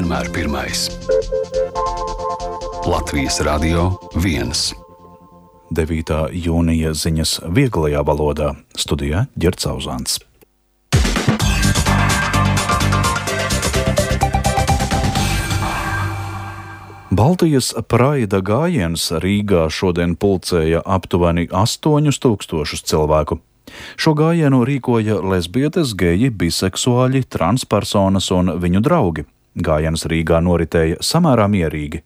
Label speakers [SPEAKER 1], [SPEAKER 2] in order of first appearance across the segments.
[SPEAKER 1] vienmēr pirmais. Latvijas Radio 1.
[SPEAKER 2] 9. jūnija ziņas vieglajā valodā. Studijā Ģerts Auzāns. Baltijas praida gājiens Rīgā šodien pulcēja aptuveni 8000 cilvēku. Šo gājienu rīkoja lesbietes, geji, biseksuāļi, transpersonas un viņu draugi. Gājiens Rīgā noritēja samērā mierīgi.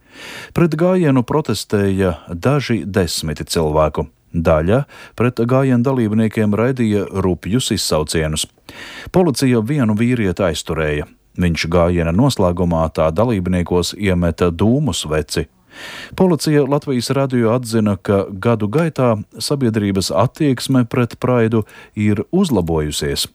[SPEAKER 2] Pret gājienu protestēja daži desmiti cilvēku. Daļa pret gājienu dalībniekiem raidīja rupjus izsaucienus. Policija vienu vīrieti aizturēja. Viņš gājiena noslēgumā tā dalībniekos iemeta dūmu sveci. Policija Latvijas radio atzina, ka gadu gaitā sabiedrības attieksme pret praidu ir uzlabojusies.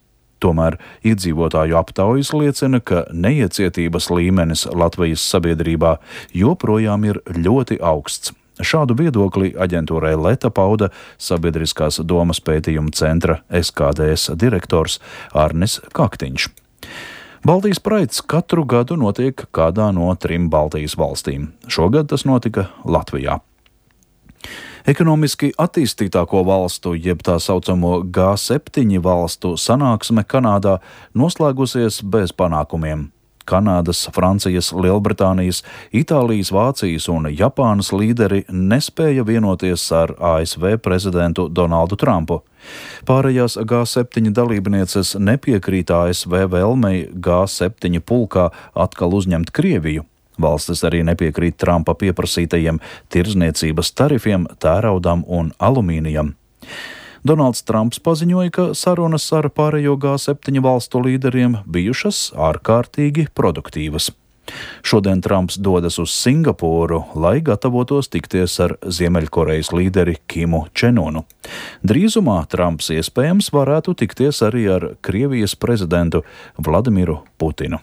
[SPEAKER 2] Tomēr iedzīvotāju aptaujas liecina, ka neiecietības līmenis Latvijas sabiedrībā joprojām ir ļoti augsts. Šādu viedokli aģentūrai Leta pauda Sabiedriskās domas pētījuma centra SKDS direktors Arnis Kaktiņš. Baltijas praids katru gadu notiek kādā no 3 Baltijas valstīm. Šogad tas notika Latvijā. Ekonomiski attīstītāko valstu, jeb tā saucamo G7 valstu sanāksme Kanādā noslēgusies bez panākumiem. Kanādas, Francijas, Lielbritānijas, Itālijas, Vācijas un Japānas līderi nespēja vienoties ar ASV prezidentu Donaldu Trumpu. Pārējās G7 dalībnieces nepiekrīt ASV vēlmei G7 pulkā atkal uzņemt Krieviju. Valstis arī nepiekrīt Trumpa pieprasītajiem tirdzniecības tarifiem tēraudam un alumīnijam. Donalds Trumps paziņoja, ka sarunas ar pārējo G7 valstu līderiem bijušas ārkārtīgi produktīvas. Šodien Trumps dodas uz Singapūru, lai gatavotos tikties ar Ziemeļkorejas līderi Kimu Čenunu. Drīzumā Trumps iespējams varētu tikties arī ar Krievijas prezidentu Vladimiru Putinu.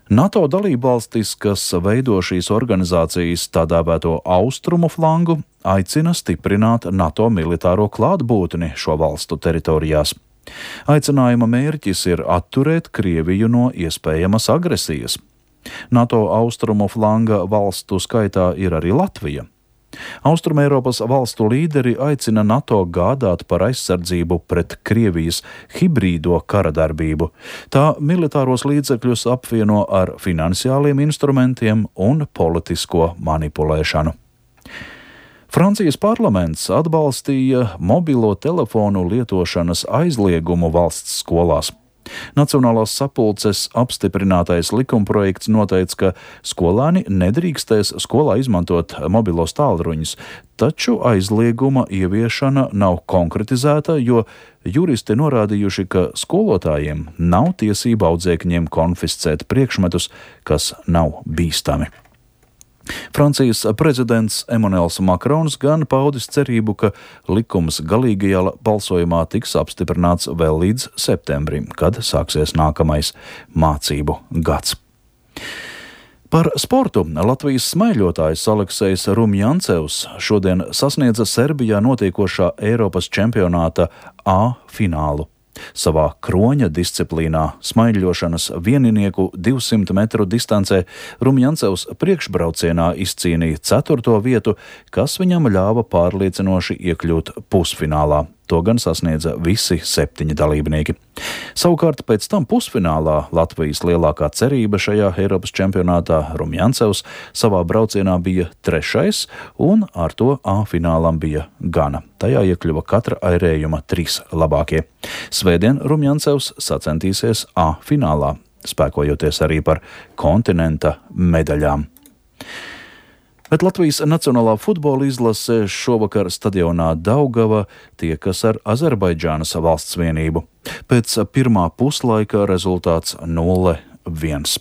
[SPEAKER 2] NATO dalībvalstis, kas veido šīs organizācijas tā dēvēto austrumu flangu, aicina stiprināt NATO militāro klātbūtni šo valstu teritorijās. Aicinājuma mērķis ir atturēt Krieviju no iespējamas agresijas. NATO austrumu flanga valstu skaitā ir arī Latvija. Austrumeiropas valstu līderi aicina NATO gādāt par aizsardzību pret Krievijas hibrīdo karadarbību. Tā militāros līdzekļus apvieno ar finansiāliem instrumentiem un politisko manipulēšanu. Francijas parlaments atbalstīja mobilo telefonu lietošanas aizliegumu valsts skolās. Nacionālās sapulces apstiprinātais likumprojekts noteica, ka skolēni nedrīkstēs skolā izmantot mobilos tālruņus, taču aizlieguma ieviešana nav konkretizēta, jo juristi norādījuši, ka skolotājiem nav tiesība audzēkņiem konfiscēt priekšmetus, kas nav bīstami. Francijas prezidents Emmanuels Makrons gan paudis cerību, ka likums galīgajā balsojumā tiks apstiprināts vēl līdz septembrim, kad sāksies nākamais mācību gads. Par sportu Latvijas smaiļotājs Aleksejs Rumjancevs šodien sasniedza Serbijā notiekošā Eiropas čempionāta A finālu. Savā kroņa disciplīnā smaiļošanas vieninieku 200 metru distancē Rumjancevs priekšbraucienā izcīnīja 4. vietu, kas viņam ļāva pārliecinoši iekļūt pusfinālā. To gan sasniedza visi 7 dalībnieki. Savukārt pēc tam pusfinālā Latvijas lielākā cerība šajā Eiropas čempionātā Rumjancevs savā braucienā bija 3. un ar to A finālam bija gana. Tajā iekļuva katra airējuma 3 labākie. Svētdien Rumjancevs sacensties A finālā, spēkojoties arī par kontinenta medaļām. Bet Latvijas Nacionālā futbola izlase šovakar stadionā Daugava tiekas ar Azerbaidžānas valsts vienību. Pēc pirmā puslaika rezultāts 0-1.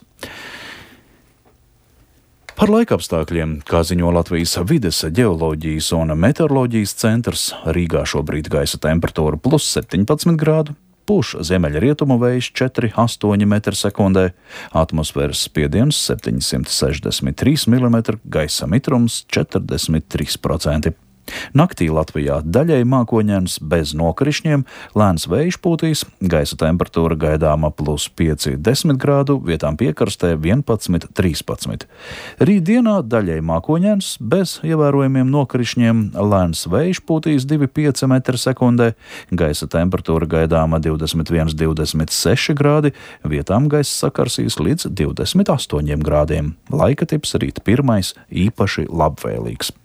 [SPEAKER 2] Par laikapstākļiem, kā ziņo Latvijas vides, ģeoloģijas un meteoroloģijas centrs, Rīgā šobrīd gaisa temperatūra +17 grādu, pūš ziemeļrietumu vējš 4,8 m/sekundē, atmosfēras spiediens 763 mm, gaisa mitrums 43%. Naktī Latvijā daļēji mākoņains bez nokrišņiem, lēns vējš pūtīs, gaisa temperatūra gaidāma +5, 10 grādu, vietām piekrastē 11, 13. Rītdienā daļēji mākoņains bez ievērojamiem nokrišņiem, lēns vējš pūtīs 2,5 m/sekundē, gaisa temperatūra gaidāma 21, 26 grādi, vietām gaisa sakarsīs līdz 28 grādiem. Laika tips rīt pirmais īpaši labvēlīgs.